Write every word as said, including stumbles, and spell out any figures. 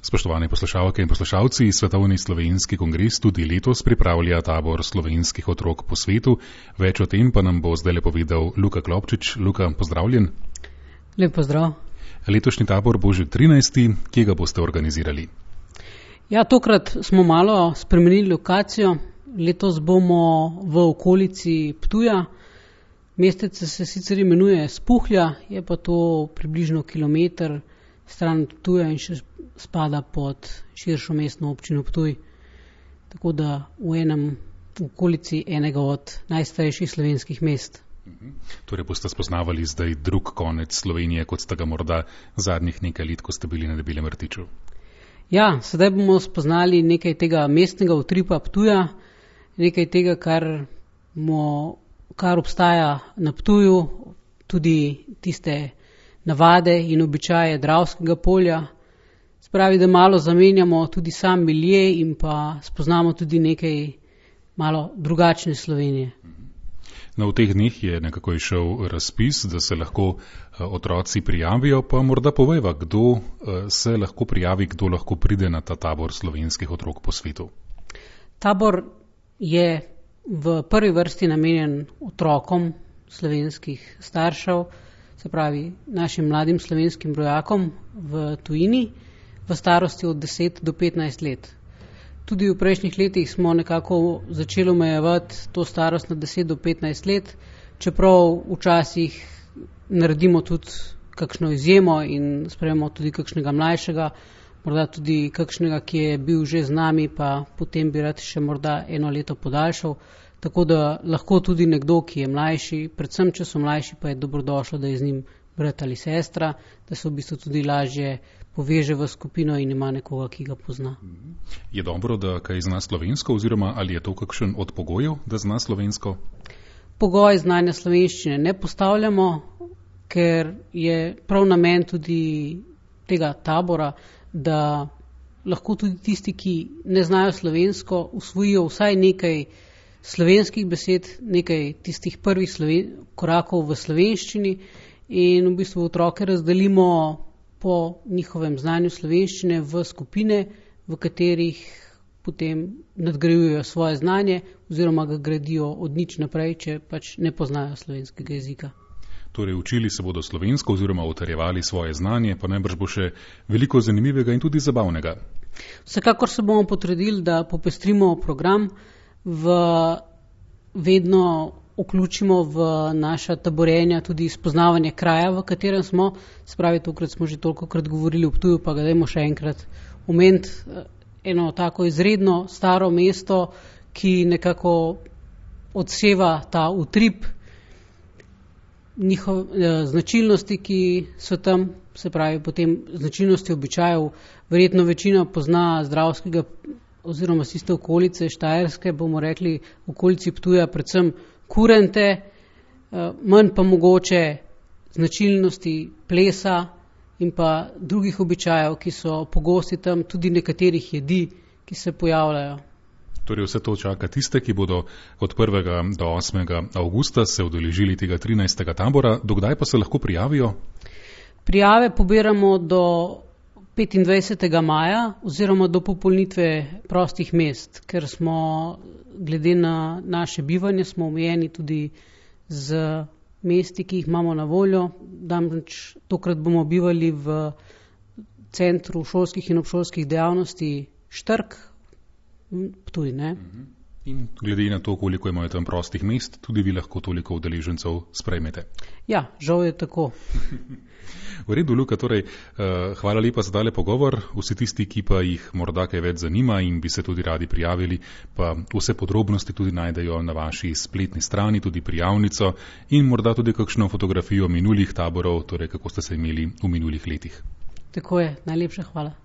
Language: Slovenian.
Spoštovane poslušalke in poslušalci, Svetovni slovenski kongres tudi letos pripravlja tabor slovenskih otrok po svetu. Več o tem pa nam bo zdaj povedal Luka Klopčič. Luka, pozdravljen. Lep pozdrav. Letošnji tabor bo že trinajsti. Kje ga boste organizirali? Ja, tokrat smo malo spremenili lokacijo. Letos bomo v okolici Ptuja. Mestece se sicer imenuje Spuhlja, je pa to približno kilometer stran Ptuja in še spada pod širšo mestno občino Ptuj. Tako da v enem v okolici enega od najstarejših slovenskih mest. Mhm. Torej boste spoznavali zdaj drug konec Slovenije, kot ste ga morda zadnjih nekaj let, ko ste bili na Debelem rtiču. Ja, sedaj bomo spoznali nekaj tega mestnega utripa Ptuja, nekaj tega, kar, mo, kar obstaja na Ptuju, tudi tiste navade in običaje Dravskega polja. Spravi, da malo zamenjamo tudi sam milje in pa spoznamo tudi nekaj malo drugačne Slovenije. No, v teh dneh je nekako išel razpis, da se lahko otroci prijavijo, pa morda povejva, kdo se lahko prijavi, kdo lahko pride na ta tabor slovenskih otrok po svetu. Tabor je v prvi vrsti namenjen otrokom slovenskih staršev, se pravi našim mladim slovenskim rojakom v tujini, v starosti od deset do petnajst let. Tudi v prejšnjih letih smo nekako začeli omejevati to starost na deset do petnajst let, čeprav včasih naredimo tudi kakšno izjemo in sprejemo tudi kakšnega mlajšega, morda tudi kakšnega, ki je bil že z nami, pa potem bi rad še morda eno leto podaljšal. Tako da lahko tudi nekdo, ki je mlajši, predvsem če so mlajši, pa je dobrodošlo, da je z njim brat ali sestra, da se v bistvu tudi lažje poveže v skupino in ima nekoga, ki ga pozna. Je dobro, da kaj zna slovensko, oziroma ali je to kakšen od pogojev, da zna slovensko? Pogoj znanja slovenščine ne postavljamo, ker je prav namen tudi tega tabora, da lahko tudi tisti, ki ne znajo slovensko, usvojijo vsaj nekaj slovenskih besed, nekaj tistih prvih sloven, korakov v slovenščini in v bistvu otroke razdelimo po njihovem znanju slovenščine v skupine, v katerih potem nadgrajujejo svoje znanje oziroma ga gradijo od nič naprej, če pač ne poznajo slovenskega jezika. Torej učili se bodo slovensko oziroma utrjevali svoje znanje, pa najbrž bo še veliko zanimivega in tudi zabavnega. Vsekakor se bomo potrudili, da popestrimo program, v vedno vključimo v naša taborenja tudi spoznavanje kraja, v katerem smo. Se pravi, tokrat smo že tolikokrat govorili o Ptuju, pa ga dajmo še enkrat omeniti. Eno tako izredno staro mesto, ki nekako odseva ta utrip njihov, eh, značilnosti, ki so tam, se pravi potem značilnosti običajev. Verjetno večina pozna Dravskega oziroma tiste okolice Štajerske, bomo rekli v okolici Ptuja, predvsem kurente, manj pa mogoče značilnosti plesa in pa drugih običajev, ki so pogosti tam, tudi nekaterih jedi, ki se pojavljajo. Torej vse to čaka tiste, ki bodo od prvega do osmega avgusta se udeležili tega trinajstega tabora. Dokdaj pa se lahko prijavijo? Prijave pobiramo do petindvajsetega maja oziroma do popolnitve prostih mest, ker smo glede na naše bivanje smo omejeni tudi z mesti, ki jih imamo na voljo. Namreč tokrat bomo bivali v centru šolskih in obšolskih dejavnosti Štrk, Ptuj, ne? In glede na to, koliko imajo tam prostih mest, tudi vi lahko toliko udeležencev sprejmete. Ja, žal je tako. V redu, Luka, torej, uh, hvala lepa za tale pogovor. Vsi tisti, ki pa jih morda kaj več zanima in bi se tudi radi prijavili, pa vse podrobnosti tudi najdejo na vaši spletni strani, tudi prijavnico in morda tudi kakšno fotografijo minulih taborov, torej kako ste se imeli v minulih letih. Tako je, najlepša hvala.